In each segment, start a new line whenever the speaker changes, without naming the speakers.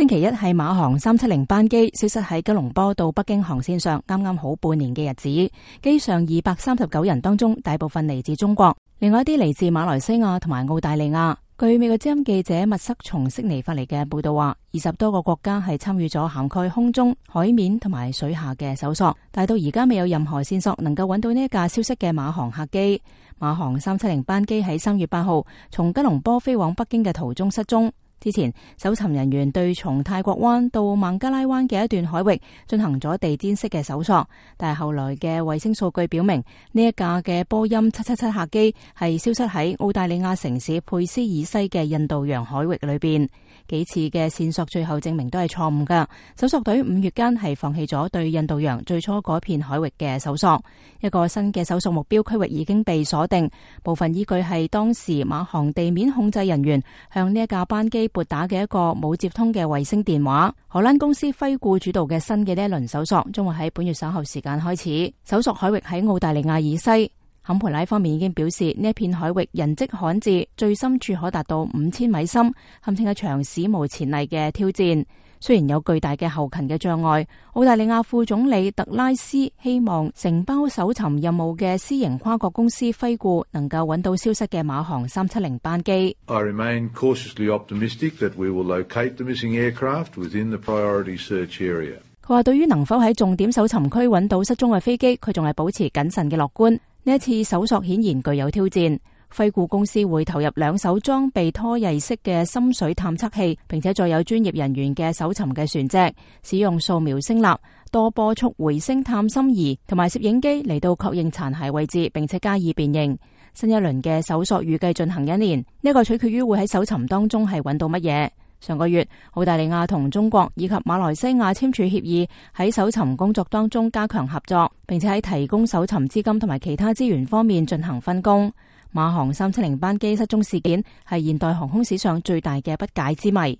星期一係馬航370班機消失喺吉隆坡到北京航線上，啱啱好半年嘅日子。機上239人當中，大部分嚟自中國，另外一啲嚟自馬來西亞同埋澳大利亞。據美國之音記者密塞從悉尼發嚟嘅報道話，20多個國家係參與咗涵蓋空中、海面同埋水下嘅搜索，但到而家未有任何線索能夠揾到呢一架消失嘅馬航客機。馬航370班機喺3月8號從吉隆坡飛往北京嘅途中失蹤。之前，搜尋人員對從泰國灣到孟加拉灣嘅一段海域進行咗地毯式嘅搜索，但係後來嘅衛星數據表明，呢一架嘅波音777客機係消失喺澳大利亞城市佩斯以西嘅印度洋海域裏邊。幾次嘅線索最後證明都係錯誤㗎。搜索隊5月間係放棄咗對印度洋最初嗰片海域嘅搜索。一個新嘅搜索目標區域已經被鎖定，部分依據係當時馬航地面控制人員向呢一架班機撥打嘅一個冇接通嘅衛星電話。荷蘭公司輝顧主導嘅新嘅呢一輪搜索將會喺本月稍後時間開始。搜索海域喺澳大利亞以西。坎培拉方面已經表示，呢一片海域人跡罕至，最深處可達到5000米深，堪稱一場史無前例嘅挑戰。雖然有巨大嘅後勤嘅障礙，澳大利亞副總理特拉斯希望承包搜尋任務嘅私營跨國公司輝顧能夠揾到消失嘅馬航370班機。
I remain cautiously optimistic that we will locate the missing aircraft within the priority search area.
佢話對於能否喺重點搜尋區揾到失蹤嘅飛機，佢仲係保持謹慎嘅樂觀。呢一次搜索顯然具有挑戰。輝顧公司會投入2艘裝備拖曳式嘅深水探測器，並且再有專業人員嘅搜尋嘅船隻，使用掃描聲納、多波速回聲探芯儀同埋攝影機嚟到確認殘骸位置，並且加以辨認。新一輪嘅搜索預計進行1年，呢個取決於會喺搜尋當中係揾到乜嘢。上個月，澳大利亞同中國以及馬來西亞簽署協議，喺搜尋工作當中加強合作，並且喺提供搜尋資金同埋其他資源方面進行分工。馬航370班機失蹤事件係現代航空史上最大嘅不解之謎。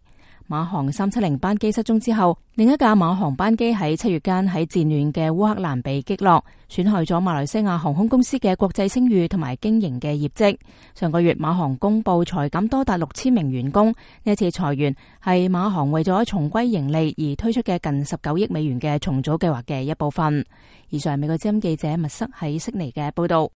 馬航370班機失蹤之後，另一架馬航班機喺7月間喺戰亂嘅烏克蘭被擊落，損害咗馬來西亞航空公司嘅國際聲譽同埋經營嘅業績。上個月馬航公布裁減多達6000名員工，呢一次裁員係馬航為咗重歸盈利而推出嘅近19億美元嘅重組計劃嘅一部分。以上係美國之音記者密塞喺悉尼嘅報道。